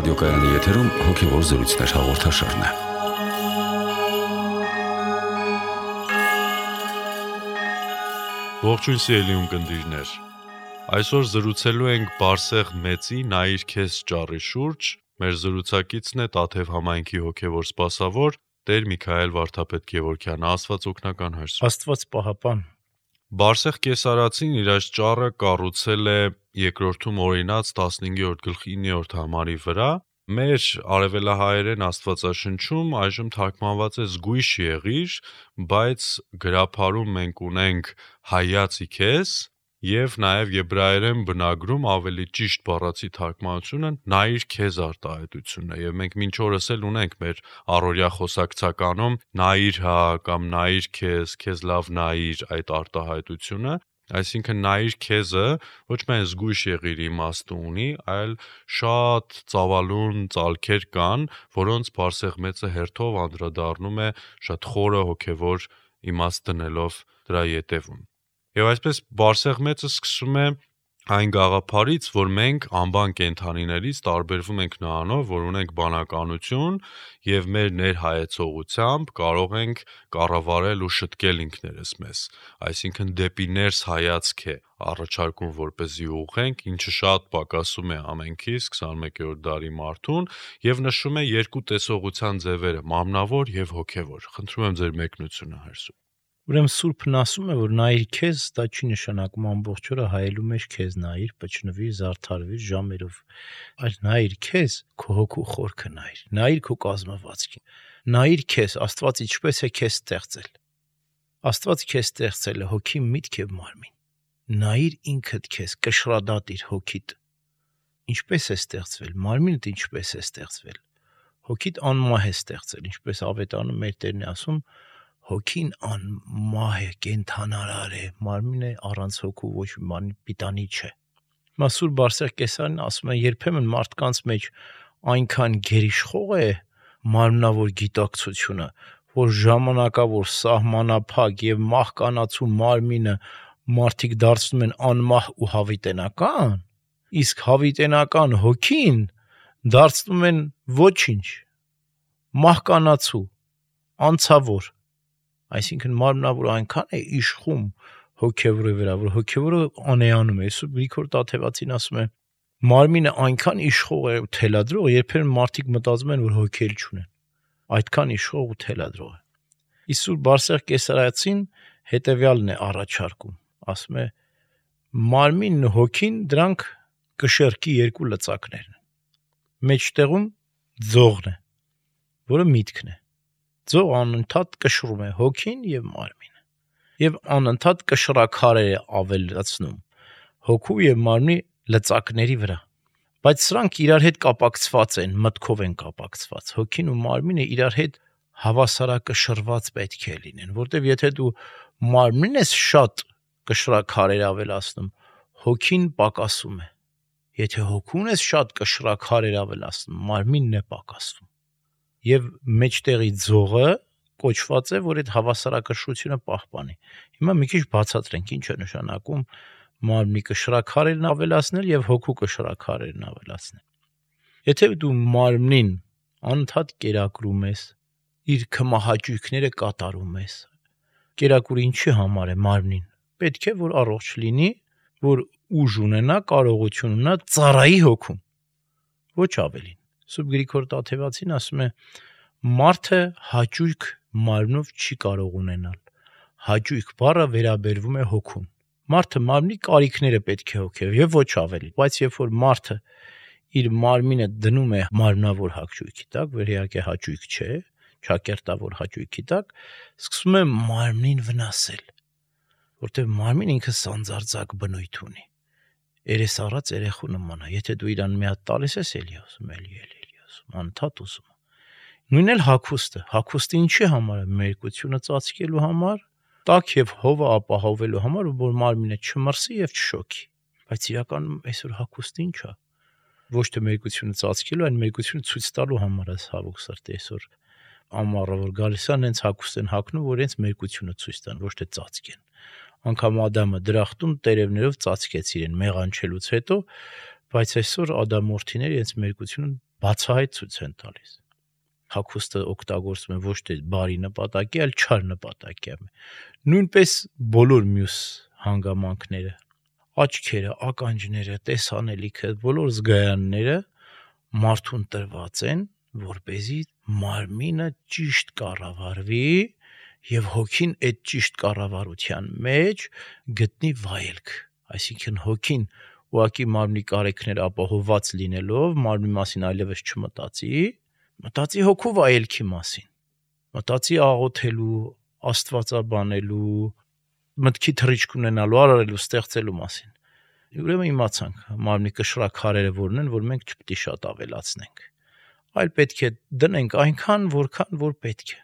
Ռադիոկայանի եթերում հոգևոր զրույցներ հաղորդաշարն է։ Ողջույն սիրելի ունկնդիրներ։ Այսօր զրուցելու ենք Բարսեղ Մեծի «Նայիր քեզ» ճառի շուրջ։ Մեր զրուցակիցն է Տաթև համայնքի հոգևոր սպասավոր Տեր Միքայել Վարդապետ Գևորգյանը, Աստված օգնական հրս։ Աստված պահապան։ Բարսեղ Կեսարացին իր այս ճառը կառուցել է երկրորդում օրինաց 15-րդ գլխի 9-րդ համարի վրա։ Մեր արևելահայերեն Աստվածաշնչում այժմ թարգմանված է զգույշ եղիր, բայց գրաբարում մենք ունենք հայացի քեզ եւ նաեւ եբրայերեն բնագրում ավելի ճիշտ բառացի թարգմանությունը նայիր քեզ արտահայտությունն է եւ մենք մինչ օրս էլ ունենք մեր առօրյա խոսակցականում նայիր հա կամ նայիր քեզ լավ նայիր այդ արտահայտությունը, այսինքն նայիր քեզը ոչ միայն զգույշ եղիր իմաստը ունի, այլ շատ ծավալուն ծալքեր կան, որոնց Բարսեղ Մեծը հերթով անդրադառնում է շատ խորը հոգևոր իմաստ դնելով դրա ետևում։ Եվ այսպես Բարսեղ Մեծը սկսում է այն գաղափարից, որ մենք անբան կենդանիներից տարբերվում ենք նրանով, որ ունենք բանականություն եւ մեր ներհայեցողությամբ կարող ենք կառավարել ու շտկել ինքներս մեզ, այսինքն դեպի ներս հայացք է առաջարկում որպեսզի ուղղենք, ինչը շատ պակասում է ամենքից 21-րդ դարի մարդուն եւ նշում է երկու տեսողության ձևերը՝ մարմնավոր եւ հոգեվոր։ Խնդրում եմ ձեր մեկնությունը հրսու։ Ուրեմն Սուրբն ասում է, որ նայիր քեզ, դա չի նշանակում ամբողջ օրը հայելու մեջ քեզ նայիր, պճնվիր, զարդարվիր ժամերով, այլ նայիր քեզ, քո հոգու խորքը նայիր քո կազմվածքին։ Նայիր քեզ, Աստված ինչպես է քեզ ստեղծել։ Աստված քեզ ստեղծել է հոգի, միտք եւ մարմին։ Նայիր ինքդ քեզ, կշռադատիր հոգիդ։ Ինչպես է ստեղծվել, մարմինդ ինչպես է ստեղծվել։ Հոգիդ անմահ է ստեղծել, ինչպես Ավետարանը մեր Տերն է ասում, հոգին անմահ է, կենդանարար է, մարմինը առանց հոգու ոչ մի բանի պիտանի չէ։ Մասուր Բարսեղ Կեսարին ասում է, երբեմն մարդկանց մեջ այնքան գերիշխող է մարմնավոր գիտակցությունը, որ ժամանակավոր սահմանափակ եւ մահկանացու մարմինը մարդիկ դարձնում են անմահ ու հավիտենական, իսկ հավիտենական հոգին դարձնում են ոչինչ, մահկանացու, անցավոր։ Այսինքն մարմնավոր այնքան է իշխում հոգևորի վրա, որ հոգևորը անեանում է։ Սուրբ Գրիգոր Տաթևացին ասում է, մարմինը այնքան իշխող է ու թելադրող, երբեմն մարդիկ մտածում են, որ հոգի էլ չունեն։ Այդքան իշխող ու թելադրող է։ Իսկ Սուրբ Բարսեղ Կեսարացին հետևյալն է առաջարկում, ասում է, մարմինն ու հոգին դրանք կշեռքի երկու լծակներն են։ Մեջտեղում ձողն է, որը միտքն է։ Ձող անընդհատ կշռում է հոգին եւ մարմինը եւ անընդհատ կշռաքարեր է ավելացնում հոգու եւ մարմնի լծակների վրա, բայց սրանք իրար հետ կապակցված են, մտքով են կապակցված։ Հոգին ու մարմինը իրար հետ հավասարակշռված պետք է լինեն, որտեւ եթե դու մարմինն ես շատ կշռաքարեր ավելացնում, հոգին պակասում է։ Եթե հոգուն ես շատ կշռաքարեր ավելացնում, մարմինն է պակասվում։ Եվ մեջտեղի ձողը կոչված է, որ այդ հավասարակշռությունը պահպանի։ Հիմա մի քիչ բացատրենք, ինչ է նշանակում մարմնի կշռաքարերն ավելացնել եւ հոգու կշռաքարերն ավելացնել։ Եթե դու մարմնին անընդհատ կերակրում ես, իր քմահաճույքները կատարում ես, կերակուրը ինչի համար է մարմնին։ Պետք է որ առողջ լինի, որ ուժ ունենա, կարողություն ունենա ծառայի հոգուն։ Ոչ ավելին։ Սուրբ Գրիգոր Տաթևացին ասում է, մարդը հաճույք մարմնով չի կարող ունենալ։ Հաճույք բառը վերաբերվում է հոգուն։ Մարդը մարմնի կարիքները պետք է հոգև եւ ոչ ավելի։ Բայց երբ որ մարդը իր մարմինը դնում է մարմնավոր հաճույքի տակ, որ իհարկե հաճույք չէ, ճակերտավոր հաճույքի տակ, սկսում է մարմնին վնասել, որտեղ մարմին ինքը սանձարձակ բնույթ ունի։ Երես առած երեխու նման է։ Եթե դու իրան մի հատ տալիս ես, էլի ասում, էլի ասում, անընդհատ ուզում։ Նույնն էլ հագուստը ինչի համար է, մերկությունը ծածկելու համար, տաք եւ հովը ապահովելու համար, որ մարմինը չմրսի եւ չշոքի։ Բայց իրականում այսօր հագուստը ի՞նչ է։ Ոչ թե մերկությունը ծածկելու, այլ մերկությունը ցույց տալու համար է ցավոք սրտի այսօր ամառը որ գալիս է, հենց հագուստ են հագնում, որ հենց մերկությունը ցույց տան, ոչ թե ծածկեն։ Անկամ Ադամը դրախտում տերևներով ծածկեց իրեն մեղանչելուց հետո, բայց այսօր ադամորդիները իրենց մերկությունը բացահայտ ցույց են տալիս։ Հագուստը օգտագործում են ոչ թե բարի նպատակի, այլ չար նպատակի։ Նույնպես բոլոր մյուս հանգամանքները, աչքերը, ականջները, տեսանելիքը, բոլոր զգայանները մարդուն տրված են, որպեսզի մարմինը ճիշտ կառավարվի եւ հոգին այդ ճիշտ կառավարության մեջ գտնի վայելք, այսինքն հոգին ուղղակի մարմնի կարիքները ապահովված լինելով մարմնի մասին այլևս մտածի հոգու վայելքի մասին, մտածի աղոթելու, աստվածաբանելու, մտքի թռիչք ունենալու, արարելու, ստեղծելու մասին։ Ուրեմն իմացանք մարմնի կշռաքարերը որն են, որ մենք չպետք է շատ ավելացնենք, այլ պետք է դնենք այնքան, որքան որ պետք է։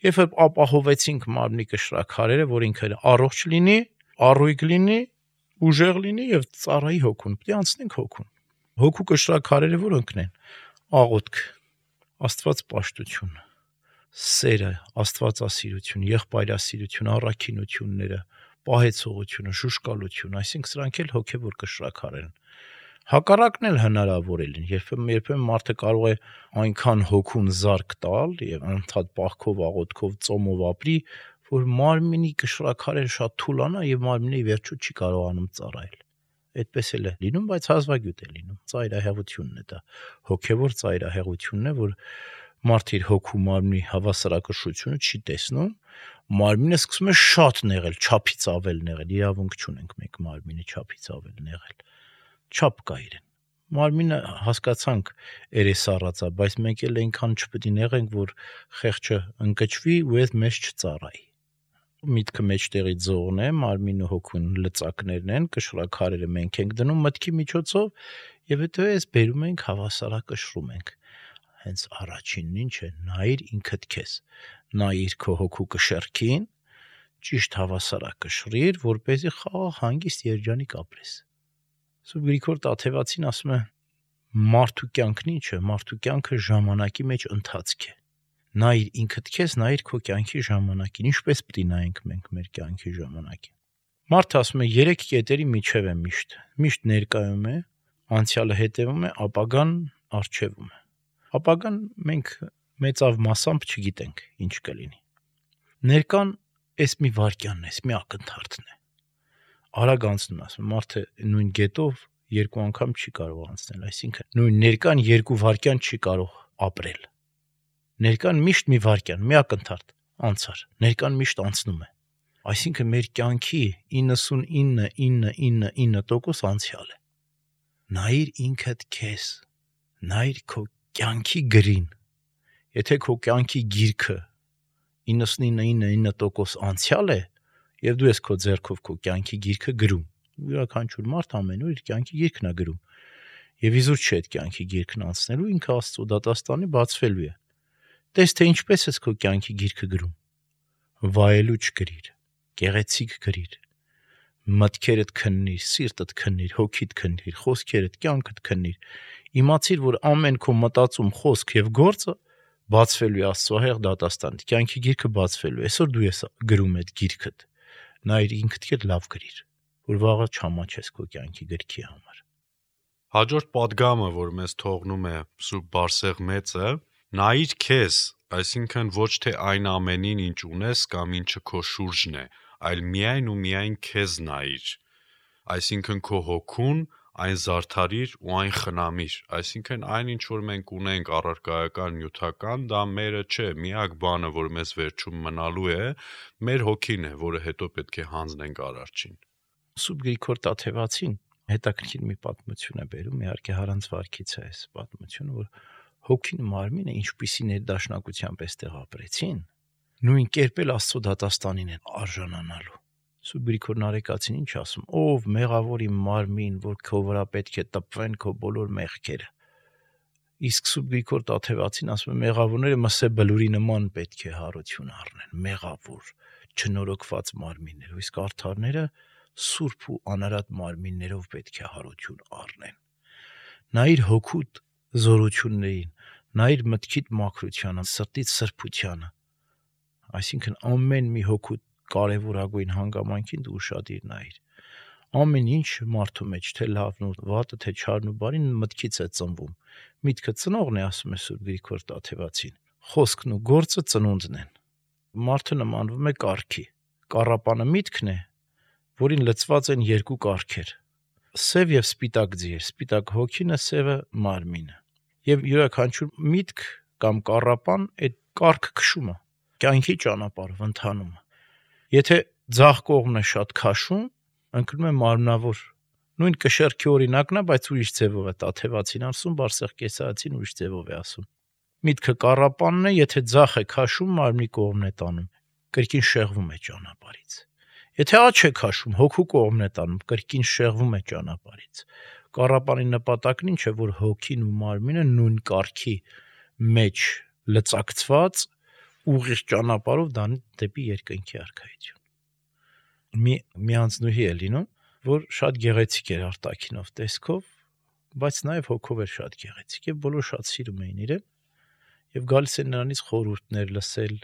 Երբ ապահովեցինք մարմնի կշռաքարերը, որ ինքը առողջ լինի, առույգ լինի, ուժեղ լինի եւ ծառայի հոգուն, պետք է անցնենք հոգուն։ Հոգու կշռաքարերը որոնքն են։ Աղոթք, աստվածպաշտություն, սերը, աստվածասիրություն, եղբայրասիրություն, առաքինությունները, պահեցողությունը, շուշկալություն, այսինքն սրանք էլ հոգևոր կշռաքարեր են։ Հակառակն էլ հնարավոր է լինի, երբեմն մարդը կարող է այնքան հոգուն զարկ տալ եւ անդադ պահքով, աղոթքով, ծոմով ապրի, որ մարմինի կշռաքարերը շատ թուլանա եւ մարմինը ի վերջո չի կարողանում ծառայել։ Այդպես էլ է լինում, բայց հազվագյուտ է լինում։ Ծայրահեղությունն է դա։ Հոգևոր ծայրահեղությունն է, որ մարդը իր հոգու մարմնի հավասարակշռությունը չի տեսնում, մարմինը սկսում է շատ նեղել, չափից ավել նեղել, իրավունք չունենք մենք մարմինը չափից ավել նեղել, չափ կա իրեն։ Մարմինը հասկացանք երեսառածա, բայց մենք էլ այնքան չպետք է նեղենք, որ խեղճը ընկճվի ու այդ մեզ չծառայի։ Միտքը մեջտեղի ձողն է, մարմինը հոգուն լծակներն են, կշռաքարերը մենք ենք դնում մտքի միջոցով եւ հետո էս բերում ենք հավասարակշռում ենք։ Հենց առաջինն ինչ է, նայիր ինքդ քեզ, նայիր քո հոգու կշեռքին, ճիշտ հավասարակշռիր, որպեսզի խաղաղ հանգիստ երջանիկ ապրես։ Սուրբ Գրիգոր Տաթևացին ասում է. մարդու կյանքն ինչ է, մարդու կյանքը ժամանակի մեջ ընթացք է։ Նայիր ինքդ քեզ, նայիր քո կյանքի ժամանակին, ինչպես պետք է նայենք մենք մեր կյանքի ժամանակին։ Մարդը ասում է 3 կետերի միջև է միշտ ներկայում է, անցյալը հետևում է, ապագան առջևում է։ Ապագան մենք մեծավ մասամբ չգիտենք ինչ կլինի։ Ներկան էս մի վարքյանն է, էս մի ակնթարթն է։ Արագ անցնում ասում, մարդը նույն գետով 2 անգամ չի կարող անցնել, այսինքն նույն ներկան 2 վարքյան չի կարող ապրել։ Ներկան միշտ մի վարքյան, մի ակնթարթ անցար, ներկան միշտ անցնում է։ Այսինքն մեր կյանքի 99.999% անցյալ է։ Նայիր ինքդ քեզ, նայիր քո կյանքի գրին։ Եթե քո կյանքի գիրքը 99.9% անցյալ է, եւ դու ես քո ձեռքով քո կյանքի գիրքը գրում, յուրաքանչյուր մարդ ամեն օր իր կյանքի գիրքն է գրում, եւ իզուր չէ այդ կյանքի գիրքն անցնելու, ինքը Աստծո դատաստանի բացվելու է։ Տես թե ինչպես ես քո կյանքի գիրքը գրում։ Վայելուչ գրիր, գեղեցիկ գրիր, մտքերդ քննիր, սիրտդ քննիր, հոգիդ քննիր, խոսքերդ, կյանքդ քննիր։ Իմացիր, որ ամեն քո մտածում, խոսք եւ գործը բացվելու է Աստծո հեղ դատաստանի։ Կյանքի գիրքը բացվելու է։ Այսօր դու ես գրում այդ գիրքդ։ Նայր ինքդ քեզ լավ գրիր, որ վաղը չամաչես քո կյանքի գրքի համար։ Հաջորդ պատգամը, որ մեզ թողնում է Սուրբ Բարսեղ մեծը, նայիր քեզ, այսինքն ոչ թե այն ամենին, ինչ ունես կամ ինչը քո շուրջն է, այլ միայն ու միայն քեզ նայիր։ Այսինքն քո հոգուն, այն զարդարիր ու այն խնամիր, այսինքն այն ինչ որ մենք ունենք առարկայական նյութական, դա մերը չէ, միակ բանը, որ մեզ վերջում մնալու է, մեր հոգին է, որը հետո պետք է հանձնենք Արարչին։ Սուրբ Գրիգոր Տաթևացին հետաքրքիր մի պատմություն է բերում, իհարկե հարանց վարքից է այս պատմությունը, որ հոգին մարմինը ինչպիսի ներդաշնակությամբ էստեղ ապրեցին, նույն կերպ էլ Աստծո դատաստանին են արժանանալու։ Սուրբ Գրիգոր Նարեկացին ինչ ասում, ով մեղավորի մարմին, որ քո վրա պետք է տպվեն քո բոլոր մեղքերը։ Իսկ Սուրբ Գրիգոր Տաթևացին ասում է, մեղավորները մսե բլուրի նման պետք է հարություն առնեն, մեղավոր, չնորոգված մարմիններով, իսկ արդարները սուրբ ու անարատ մարմիններով պետք է հարություն առնեն։ Նայիր հոգուտ զորություններին, նայիր մտքիդ մաքրությանը, սրտիդ սրբությանը, այսինքն ամեն մի հոգուտ կարևորագույն հանգամանքին դու ուշադիր նայիր։ Ամեն ինչ մարդու մեջ, թե լավն ու վատը, թե չարն ու բարին մտքից է ծնվում։ Միտքը ծնողն է, ասում է Սուրբ Գրիգոր Տաթևացին։ Խոսքն ու գործը ծնունդն են։ Մարդը նմանվում է կառքի։ Կառապանը միտքն է, որին լցված են երկու կառքեր՝ սև եւ սպիտակ ձիեր, սպիտակ հոգինը, սևը մարմինը։ Եվ յուրաքանչյուր միտք կամ կառապան այդ կառքը քշում է, կյանքի ճանապարհով ընթանում է։ Եթե ձախ կողմն է շատ քաշում, ընկնում է մարմնավոր։ Նույն կշեռքի օրինակն է, բայց ուրիշ ձևով է Տաթևացին ասում, Բարսեղ Կեսարացին ուրիշ ձևով է ասում։ Միտքը կառապանն է, եթե ձախ է քաշում, մարմնի կողմն է տանում, կրկին շեղվում է ճանապարհից։ Եթե աջ է քաշում, հոգու կողմն է տանում, կրկին շեղվում է ճանապարհից։ Կառապանի նպատակն ինչ է, որ հոգին ու մարմինը նույն կառքի մեջ լծակցված ուղիղ ճանապարհով դան դեպի երկնքի արքայություն։ Մի անձնուհի է լինում, որ շատ գեղեցիկ էր արտաքինով տեսքով, բայց նաև հոգով էր շատ գեղեցիկ եւ բոլորը շատ սիրում էին իրեն եւ գալիս են նրանից խորհուրդներ լսել,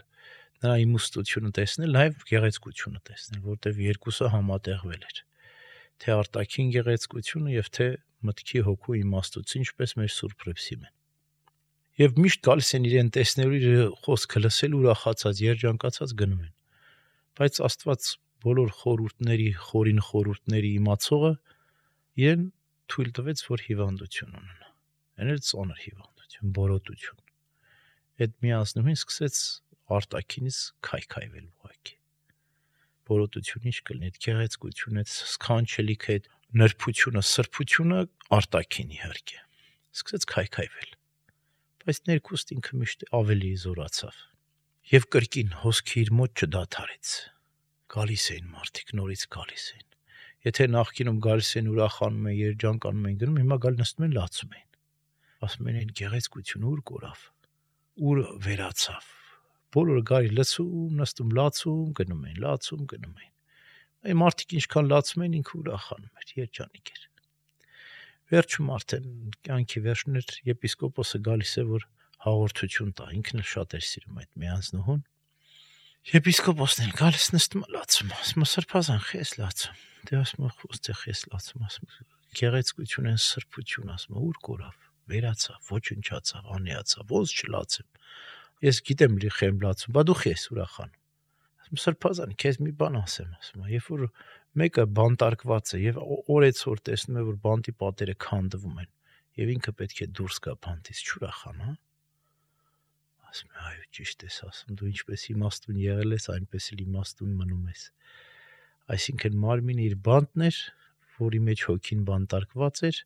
նրա իմաստությունը տեսնել, նաև գեղեցկությունը տեսնել, որտեղ երկուսը համատեղվել էր, թե արտաքին գեղեցկությունը եւ թե մտքի հոգու իմաստությունը, ինչպես մեր Սուրբ Հռիփսիմեն։ Եվ միշտ գալիս են իրեն տեսնելու, իր խոսքը լսել, ուրախացած, երջանկացած գնում են։ Բայց Աստված բոլոր խորին խորհուրդների իմացողը իրեն թույլ տվեց, որ հիվանդություն ունենա։ Այն էլ ծանր հիվանդություն, բորոտություն։ Այդ մի անձնուհին սկսեց արտաքինից քայքայվել ուղակի։ Բորոտությունը ինչ կլինի, այդ գեղեցկությունը, այդ սքանչելիքը, այդ նրբությունը, սրբությունը արտաքին իհարկե։ Սկսեց քայքայվել։ Բայց ներքուստ ինքը միշտ ավելի զորացավ։ Եվ կրկին հոսքը իր մոտ չդադարեց։ Գալիս էին մարդիկ, նորից գալիս էին։ Եթե նախկինում գալիս են ուրախանում են, երջանկանում են գնում, հիմա գալ նստում են լացում են։ Ասում են գեղեցկությունը ուր կորավ, ուր վերացավ։ Բոլորը գարի լցում, նստում, լացում, գնում են, լացում, գնում են։ Այն մարդիկ ինչքան լացում են, ինքը ուրախանում էր, երջանիկ էր։ Վերջում արդեն կյանքի վերջն էր, եպիսկոպոսը գալիս է, որ հաղորդություն տա, ինքն էլ շատ էր սիրում այդ մի անձնուհուն։ Եպիսկոպոսն էլ գալիս նստում լացում, ասում սրբազան խես լացում։ Դե ասում խոստե խես լացում, ասում գեղեցկություն են սրբություն, ասում ուր կորավ, վերացավ, ոչնչացավ, անիացավ, ոնց չլացեմ։ Ես գիտեմ լի խեմ լացում, բա դու խես ուրախանում։ Ասում սրբազան, քեզ մի բան ասեմ, ասում, երբ որ մեկը բանտարկված է եւ օրեցօր տեսնում է, որ բանտի պատերը քանդվում են եւ ինքը պետք է դուրս գա բանտից, չուրախանա։ Ասում է, այո, ճիշտ ես ասում, դու ինչպես իմաստուն եղել ես, այնպես էլ իմաստուն մնում ես։ Այսինքն մարմինը իր բանտն էր, որի մեջ հոգին բանտարկված էր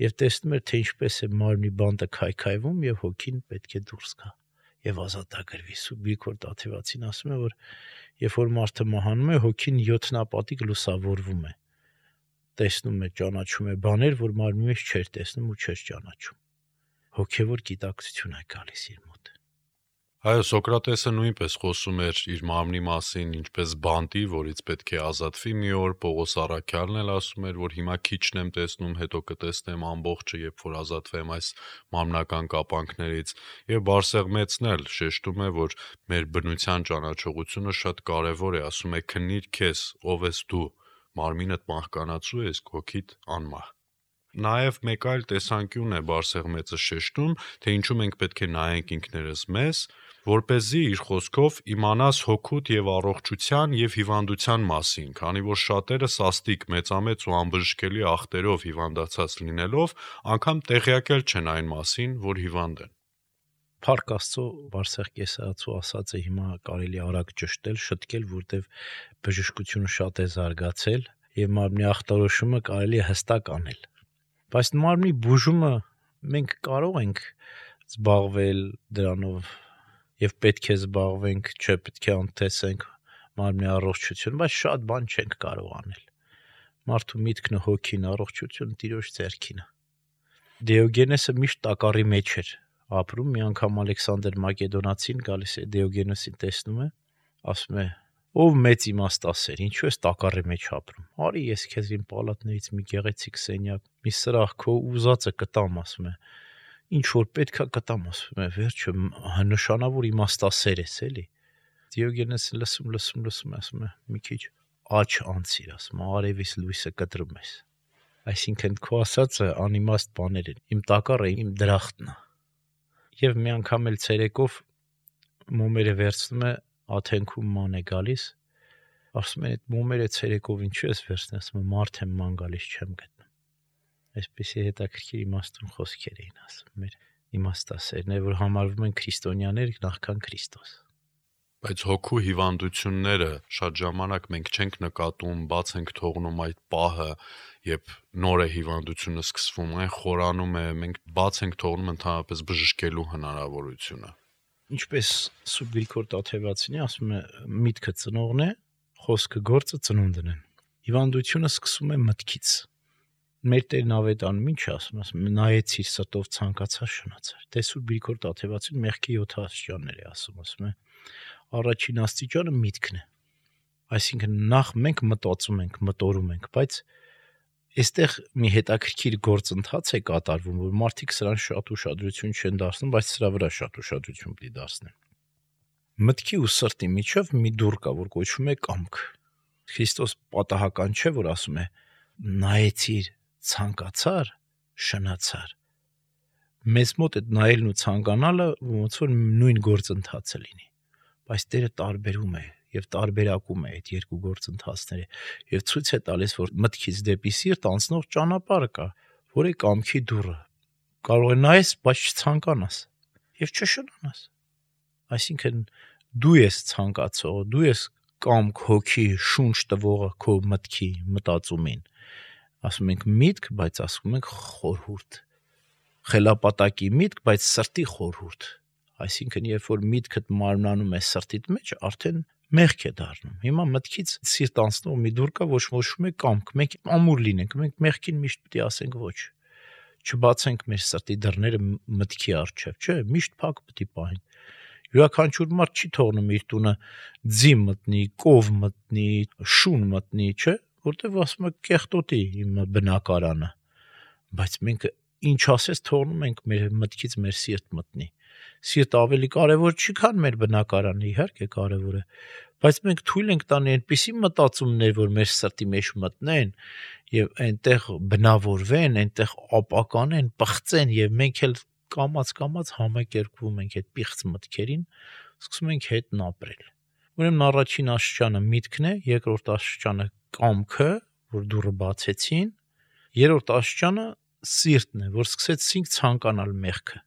եւ տեսնում էր, թե ինչպես է մարմնի բանտը քայքայվում եւ հոգին պետք է դուրս գա եւ ազատագրվի։ Սուրբ Գրիգոր Տաթևացին ասում է, որ երբ որ մարդը մահանում է, հոգին 7 նապատիկ լուսավորվում է։ Տեսնում է, ճանաչում է բաներ, որ մարմնի մեջ չէր տեսնում ու չէր ճանաչում։ Հոգեվոր գիտակցություն է գալիս իր մոտ։ Այո, Սոկրատեսը նույնպես խոսում էր իր մարմնի մասին, ինչպես բանտի, որից պետք է ազատվի մի օր, Պողոս առաքյալն էլ ասում էր, որ հիմա քիչն եմ տեսնում, հետո կտեսնեմ ամբողջը, երբ որ ազատվեմ այս մարմնական կապանքներից, եւ Բարսեղ մեծն էլ շեշտում է, որ մեր բնության ճանաչողությունը շատ կարեւոր է, ասում է քննիր քեզ, ով ես դու, մարմինդ մահկանացու է, իսկ հոգիդ անմահ։ Նաև մեկ այլ տեսանկյուն է Բարսեղ մեծը շեշտում, թե ինչու մենք պետք է նայենք ինքներս մեզ, որպեսզի իր խոսքով իմանաս հոգուտ եւ առողջության եւ հիվանդության մասին, քանի որ շատերը սաստիկ մեծամեծ ու անբժշկելի ախտերով հիվանդացած լինելով, անգամ տեղյակել չեն այն մասին, որ հիվանդ են։ Փառք Աստծո, Բարսեղ Կեսարացու ասածը հիմա կարելի արագ ճշտել, շտկել, որտեվ բժշկությունը շատ է զարգացել եւ մարմնի ախտորոշումը կարելի է հստակ անել։ Բայց մարմնի բուժումը մենք կարող ենք զբաղվել դրանով եւ պետք է զբաղվենք, չէ, պետք է անտեսենք մարմնի առողջությունը, բայց շատ բան չենք կարող անել։ Մարդու միտքն ու հոգին առողջությունը Տիրոջ ձեռքին է։ Դիոգենեսը միշտ տակառի մեջ էր ապրում, մի անգամ Ալեքսանդր Մակեդոնացին գալիս է Դիոգենեսին տեսնում է, ասում է. «Ով մեծ իմաստասեր, ինչու ես տակառի մեջ ապրում։ Արի ես քեզ իմ պալատներից մի գեղեցիկ սենյակ, մի սրահ քո ուզածը կտամ», ասում է։ Ինչ որ պետքա կտամ, ասում է, վերջը նշանավոր իմաստասեր ես, էլի։ Դիոգենեսը լսում, ասում է, մի քիչ աչ անցիր, ասում արևից լույսը կտրում ես։ Այսինքն քո ասածը անիմաստ բաներ են։ Իմ տակառը իմ դրախտն է։ Եվ մի անգամ էլ ցերեկով մոմերը վերցնում է Աթենքում ման է գալիս, ասում են այդ մոմերը ցերեկով ինչու ես վերցնել, ասում եմ մարդ եմ ման գալիս չեմ գտնում։ Այսպեսի հետաքրքիր իմաստուն խոսքեր էին ասում մեր իմաստասերներ, որ համարվում են քրիստոնյաներ նախքան Քրիստոս։ Բայց հոգու հիվանդությունները շատ ժամանակ մենք չենք նկատում, բաց ենք թողնում այդ պահը, երբ նոր է հիվանդությունը սկսվում, այն խորանում է, մենք բաց ենք թողնում ընդհանրապես բժշկելու հնարավորությունը։ Ինչպես Սուրբ Գրիգոր Տաթևացյանը ասում է, միտքը ծնողն է, խոսքը գործը ծնունդն են։ Հիվանդությունը սկսում է մտքից։ Մեր Տերն ավետանում ինչ ասում, նայեցիր սրտով ցանկացած շնացար։ Դե Սուրբ Գրիգոր Տաթևացյանը մեղքի 7 աստիճաններ է ասում է։ Առաջին աստիճանը միտքն է։ Այսինքն նախ մենք մտածում ենք, մտորում ենք, բայց այստեղ մի հետաքրքիր գործընթաց է կատարվում, որ մարդիկ սրան շատ ուշադրություն չեն դարձնում, բայց սրա վրա շատ ուշադրություն պետք է դարձնեն։ Մտքի ու սրտի միջև մի դուռ կա, որ կոչվում է կամք։ Քրիստոս պատահական չէ, որ ասում է նայեցիր, ցանկացար, շնացար։ Մեզ մոտ այդ նայելն ու ցանկանալը ոնց որ նույն գործընթացը լինի, բայց Տերը տարբերում է եւ տարբերակում է այդ երկու գործընթացները եւ ցույց է տալիս, որ մտքից դեպի սիրտ անցնող ճանապարհը կա, որը կամքի դուռը։ Կարող է նայես, բայց չցանկանաս եւ չշնանաս։ Այսինքն դու ես ցանկացողը, դու ես կամք, հոգի, շունչ տվողը քո մտքի, մտածումին։ Ասում ենք միտք, բայց ասում ենք խորհուրդ։ Խելապատակի միտք, բայց սրտի խորհուրդ։ Այսինքն երբ որ միտքդ մարմնանում է սրտիդ մեջ, արդեն մեղք է դառնում։ Հիմա մտքից սիրտ անցնող մի դուռ կա, ոչխոշում է կամք։ Մենք ամուր լինենք, մենք մեղքին միշտ պետք է ասենք ոչ։ Չբացենք մեր սրտի դռները մտքի առջև, չէ՞, միշտ փակ պետք է պահենք։ Յուրաքանչյուր մարդ չի թողնում իր տունը ձի մտնի, կով մտնի, շուն մտնի, չէ՞, որտեվ ասում է կեղտոտի իմ բնակարանը։ Բայց մենք ինչ ասես թողնում ենք մեր մտքից մեր սիրտ մտնի։ Սիրտ ավելի կարևոր չի, քան մեր բնակարանը, իհարկե կարևոր է, բայց մենք թույլ ենք տանի այնպիսի մտածումներ, որ մեր սրտի մեջ մտնեն եւ այնտեղ բնավորվեն, այնտեղ ապականեն, պղծեն եւ մենք էլ կամած համակերպվում ենք այդ պիղծ մտքերին, սկսում ենք հետն ապրել։ Ուրեմն առաջին աստիճանը միտքն է, երկրորդ աստիճանը կամքը, որ դուռը բացեցին, երրորդ աստիճանը սիրտն է, որ սկսեցինք ցանկանալ մեղքը։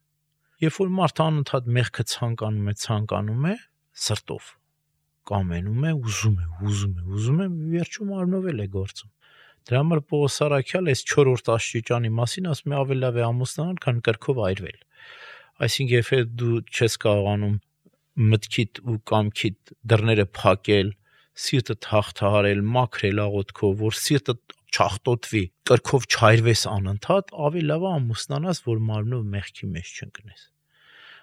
Երբ որ մարդը անընդհատ մեղքը ցանկանում է սրտով, կամենում է, ուզում է, վերջում արնովել է գործում։ Դրա համար Պողոս Առաքյալը այս 4-րդ աստիճանի մասին ասում է ավելի լավ է ամուսնանալ, քան կրքով այրվել։ Այսինքն երբ դու չես կարողանում մտքիդ ու կամքիդ դռները փակել, սիրտդ հաղթահարել, մաքրել աղոթքով, որ սիրտդ չախտոտվի, կրքով չայրվես անընդհատ, ավելի լավ է ամուսնանաս, որ մարմնով մեղքի մեջ չընկնես։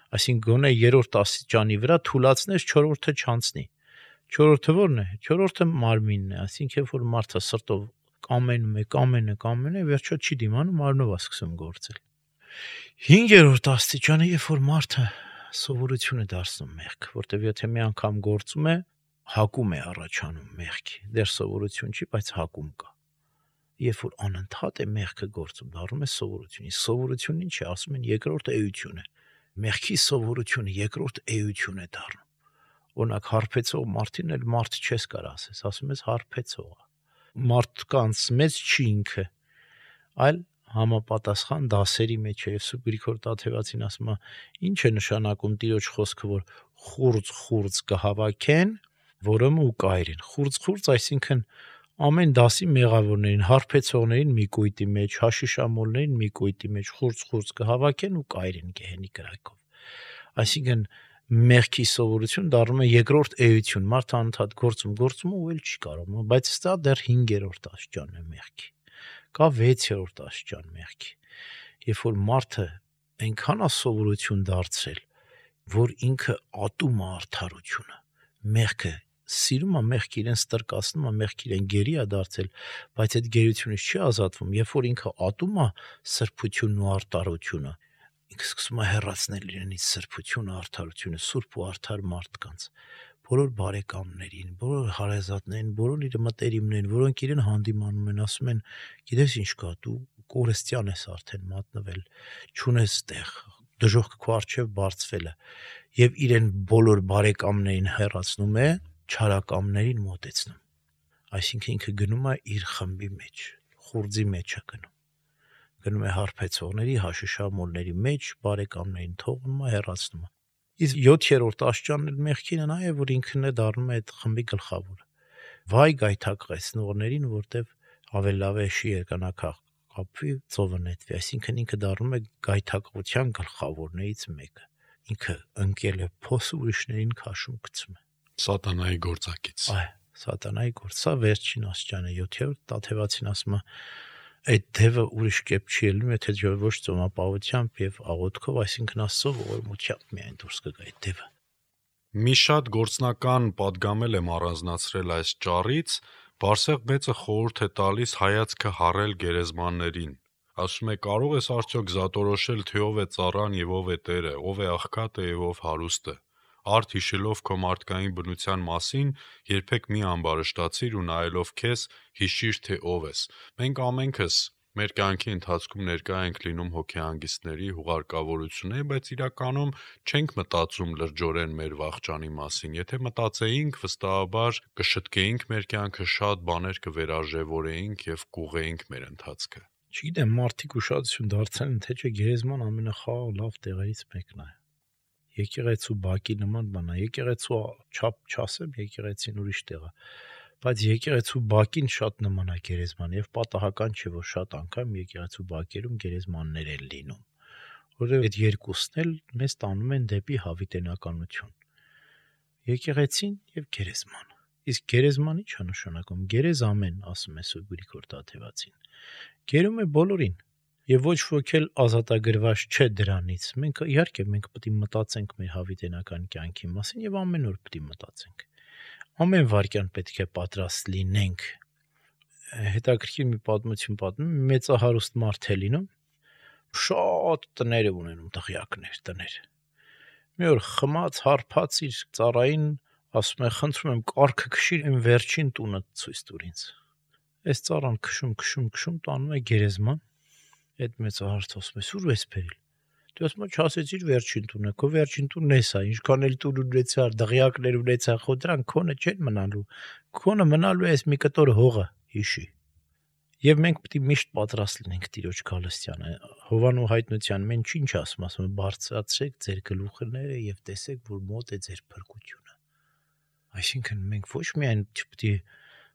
Այսինքն գոնե երրորդ աստիճանի վրա թուլացնես, 4-րդը չանցնի։ 4-րդը ո՞րն է։ 4-րդը մարմինն է, այսինքն երբ որ մարդը սրտով կամենում է, վերջո չի դիմանում, մարմնով է սկսում գործել։ 5-րդ աստիճանը, երբ որ մարդը սովորություն է դարձնում մեղք, որտեվ եթե մի անգամ գործում է, հակում է առաջանում մեղքի։ Դեռ սովորություն չի, բայց հակում կա։ Երբ որ անընդհատ է մեղքը գործում, դառնում է սովորություն։ Իսկ սովորությունն ինչ է, ասում են երկրորդ էություն է։ Մեղքի սովորությունը երկրորդ էություն է դառնում։ Օրինակ հարբեցող մարդին էլ մարդ չես կարող ասես, ասում ես հարբեցող է։ Մարդկանց մեծ չի ինքը, այլ համապատասխան դասերի մեջ է։ Եվ Սուրբ Գրիգոր Տաթևացին ասում է, ինչ է նշանակում Տիրոջ խոսքը, որ խուրձ կհավաքեն, որոմ ու կայրեն։ Խուրձ, այսինքն ամեն դասի մեղավորներին, հարբեցողներին մի կույտի մեջ, հաշիշամոլներին մի կույտի մեջ խուրձ կհավաքեն ու կայրեն գեհենի կրակով։ Այսինքն մեղքի սովորություն դառնում է երկրորդ էություն, մարդը անընդհատ գործում ու էլ չի կարող, բայց սա դեռ 5-րդ աստիճանն է մեղքի։ Կա 6-րդ աստիճան մեղքի։ Երբ որ մարդը այնքան է սովորություն դարձրել, որ ինքը ատում է արդարությունը, մեղքը սիրում է, մեղքը իրեն ստրկացնում է, մեղքը իրեն գերի է դարձել, բայց այդ գերությունից չի ազատվում, երբ որ ինքը ատում է սրբությունն ու արդարությունը, ինքը սկսում է հեռացնել իրենից սրբությունը, արդարությունը, սուրբ ու արդար մարդկանց։ բոլոր բարեկամներին, բոլոր հարազատներին, բոլոր իր մտերիմներին, որոնք իրեն հանդիմանում են, ասում են, գիտես ինչ կա, դու կորստյան ես արդեն մատնվել, չունես տեղ, դժոխք քո առջև բարձվել է, եւ իրեն բոլոր բարեկամներին հեռացնում է, չարակամներին մոտեցնում։ Այսինքն ինքը գնում է իր խմբի մեջ, խուրձի մեջ է գնում է հարբեցողների, հաշիշամոլների մեջ, բարեկամներին թողնում է, հեռացնում է։ Իսկ 7-րդ աշճանն էլ մեղքինը նա է, որ ինքն է դառնում է այդ խմբի գլխավորը։ Վայ գայթակղեցնողներին, որտեվ ավելի լավ է շի երկանակապի ծովը նետվի, այսինքն ինքը դառնում է գայթակղության գլխավորներից մեկը։ Ինքը ընկել է փոս ուրիշներին քաշում գցում է։ Սատանայի գործակից։ Սատանայի գործ, սա վերջին աշճանը 7-րդ Տաթևացին ասում է, այդ դևը ուրիշ կերպ չի ելնում, եթե ոչ ծոմապահությամբ եւ աղոթքով, այսինքն Աստծո ողորմությամբ միայն դուրս կգա այդ դևը։ Մի շատ գործնական падգամել եմ առանձնացրել այս ճառից, Բարսեղ մեծը խորհուրդ է տալիս հայացքը հառել գերեզմաններին։ Ասում է, կարող ես արդյոք զատորոշել, թե ով է ծառան եւ ով է տերը, ով է աղքատը եւ ով հարուստը։ Արդ հիշելով քո մարդկային բնության մասին, երբեք մի ամբարշտացիր ու նայելով քեզ, հիշիր, թե ով ես։ Մենք ամենքս մեր կյանքի ընթացքում ներկա ենք լինում հոգեհանգիստների, հուղարկավորությունների, բայց իրականում չենք մտածում լրջորեն մեր վախճանի մասին։ Եթե մտածեինք, վստահաբար կշտկեինք մեր կյանքը, շատ բաներ կվերարժևորեինք եւ կուղեինք մեր ընթացքը։ Չգիտեմ, մարդիկ ուշադրություն դարձան, թե չէ գերեզման ամենախաղ լավ տեղերից մեկն է։ Եկեղեցու բակի նման բան է, եկեղեցու չափ չասեմ, եկեղեցին ուրիշ տեղ է, բայց եկեղեցու բակին շատ նման է գերեզման եւ պատահական չէ, որ շատ անգամ եկեղեցու բակերում գերեզմաններ են լինում, որովհետեւ այդ երկուսն էլ մեզ տանում են դեպի հավիտենականություն։ Եկեղեցին եւ գերեզմանը։ Իսկ գերեզմանը ի՞նչ է նշանակում։ Գերեզ ամեն, ասում է Սուրբ Գրիգոր Տաթևացին։ Գերում է բոլորին։ Եվ ոչ ոք էլ ազատագրված չէ դրանից։ Մենք իհարկե պետք է մտածենք մեր հավիտենական կյանքի մասին եւ ամեն օր պետք է մտածենք։ Ամեն վարքյան պետք է պատրաստ լինենք։ Հետաքրքիր մի պատմություն պատմում, մեծահարուստ մարդ է լինում, շատ տներ է ունենում, տղյակներ, տներ։ Մի օր խմած, հարբած իր ծառային ասում է, խնդրում եմ, կարգը քշիր, այն վերջին տունը ցույց տուր ինձ։ Այս ծառան քշում, տանում է գերեզման։ Այդ մեծահարուստ ասում է, «Սուր ես բերել»։ Դու ասում ես, «Չասեցիր վերջին տունը, քո վերջին տունն էս է, ինչքան էլ տուն ունեցար, դղյակներ ունեցար, խո դրանք քոնը չեն մնալու։ Քոնը մնալու է այս մի կտոր հողը, հիշի»։ Եվ մենք պետք է միշտ պատրաստ լինենք Տիրոջ գալստյանը։ Հովանու հայտնության մենք ինչ ասում է, բարձրացրեք ձեր գլուխները եւ տեսեք, որ մոտ է ձեր փրկությունը։ Այսինքն մենք ոչ միայն չպետք է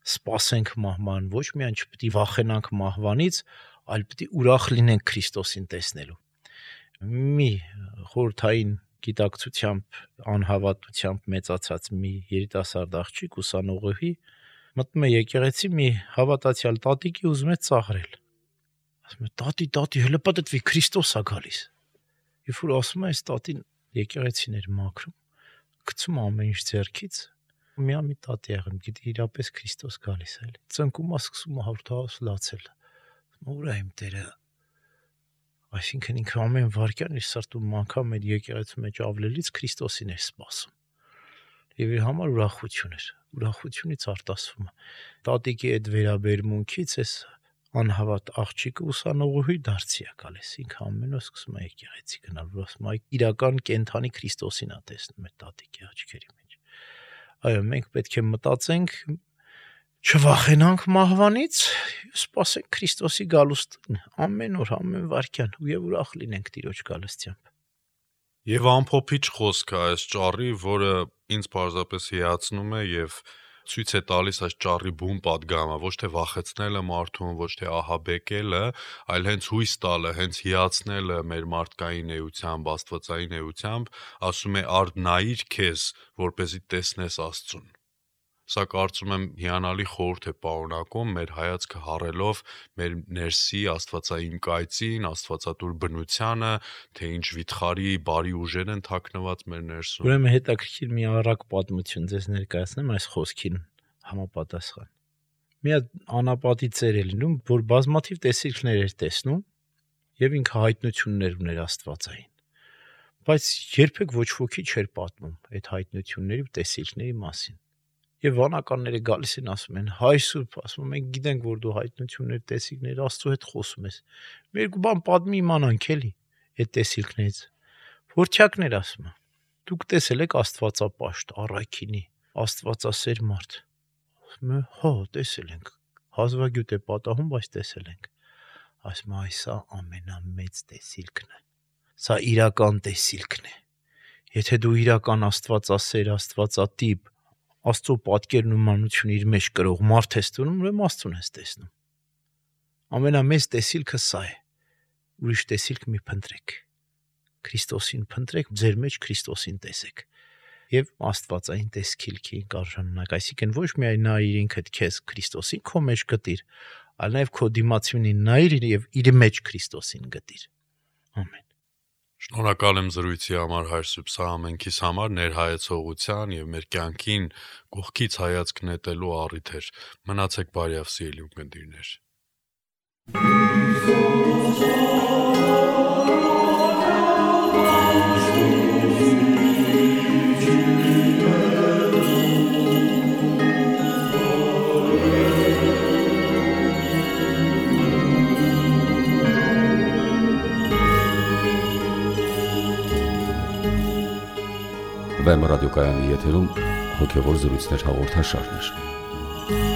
սպասենք մահվան, ոչ միայն չպետք է վախենանք մահվանից, այլ պետք է ուրախ լինենք Քրիստոսին տեսնելու։ Մի խորհրդային գիտակցությամբ, անհավատությամբ մեծացած մի երիտասարդ աղջիկ ուսանողի մտնում է եկեղեցի, մի հավատացյալ տատիկի ուզում է ծաղրել։ Ասում է, «Տատի, հələ պատտվի, Քրիստոս է գալիս»։ Երբ որ ասում է, այս տատին եկեղեցին էր մաքրում, գցում ամեն ինչ ձեռքից, մի տատի եղեմ, գիտի իրապես Քրիստոս գալիս է, էլի։ Ծնկում է սկսում հաղորդահոս լացել։ Ուր է իմ Տերը։ Այսինքն ինքը ամեն վարքյան իր սրտում անգամ այդ եկեղեցու մեջ ավլելից Քրիստոսին էր սպասում։ Եվ իր համար ուրախություն էր, ուրախությունից արտասվում է։ Տատիկի այդ վերաբերմունքից էս անհավատ աղջիկը ուսանողուհի դարձի է գալիս, ինքը ամեն օր սկսում է եկեղեցի գնալ, որ ասում է իրական կենթանի Քրիստոսին է տեսնում այդ տատիկի աչքերի մեջ։ Այո, մենք պետք է մտածենք, չվախենանք մահվանից, սպասենք Քրիստոսի գալուստին, ամեն օր, ամեն վարքյան, եւ ուրախ լինենք Տիրոջ գալստությամբ։ Եվ ամփոփիչ խոսք է այս ճառի, որը ինձ պարզապես հիացնում է եւ ցույց է տալիս այս ճառի բուն պատգամը, ոչ թե վախեցնելը մարդուն, ոչ թե ահաբեկելը, այլ հենց հույս տալը, հենց հիացնելը մեր մարդկային էությամբ, աստվածային էությամբ, ասում է արդ նայիր քեզ, որպեսզի տեսնես Աստծուն։ Սա կարծում եմ հիանալի խորհուրդ է պարունակում մեր հայացքը հառելով մեր ներսի աստվածային կայծին, աստվածատուր բնությանը, թե ինչ վիթխարի բարի ուժեր են թաքնված մեր ներսում։ Ուրեմն հետաքրքիր մի առակ պատմություն ձեզ ներկայացնեմ այս խոսքին համապատասխան։ Մի հատ անապատի ծեր է լինում, որ բազմաթիվ տեսիլքներ էր տեսնում եւ ինքը հայտնություններ ուներ աստվածային։ Բայց երբեք ոչ ոքի չէր պատմում այդ հայտնությունների ու տեսիլքների մասին։ Եվ վանականները գալիս են ասում են. «Հայր Սուրբ, ասում մենք գիտենք, որ դու հայտնություններ, տեսիլքներ Աստծո հետ խոսում ես։ Մեր երկու բան պատմի իմանանք էլի այդ տեսիլքներից»։ Որդյակներ ասում են. «Դուք տեսել եք Աստվածապաշտ, առաքինի, Աստվածասեր մարդ»։ Ասում են. «Հա, տեսել ենք։ Հազվագյուտ է պատահում, բայց տեսել ենք»։ Ասում են. «Սա ամենամեծ տեսիլքն է։ Սա իրական տեսիլքն է։ Եթե դու իրական Աստվածասեր, Աստվածատիպ, Աստծո պատկերն ու մանությունը իր մեջ կրող մարդ ես դնում, ուրեմն Աստծուն ես տեսնում։ Ամենամեծ տեսիլքը սա է։ Ուրիշ տեսիլք մի փնտրեք։ Քրիստոսին փնտրեք, ձեր մեջ Քրիստոսին տեսեք։ Եվ Աստվածային տեսիլքին կարժանանաք, այսինքն ոչ միայն նայիր ինքդ քեզ Քրիստոսին քո մեջ գտիր, այլ նաև քո դիմացյունին նայիր եւ իր մեջ Քրիստոսին գտիր։ Ամեն։ Շնորհակալ եմ զրույցի համար Հայր Սուրբ, սա ամենքիս համար ներհայեցողության եւ մեր կյանքին կողքից հայացք նետելու առիթ էր։ Մնացեք բարյավ սիրելի ունկնդիրներ։ Վեմ ռադիոկայանի եթերում հոգևոր զրույցներ հաղորդաշարներ։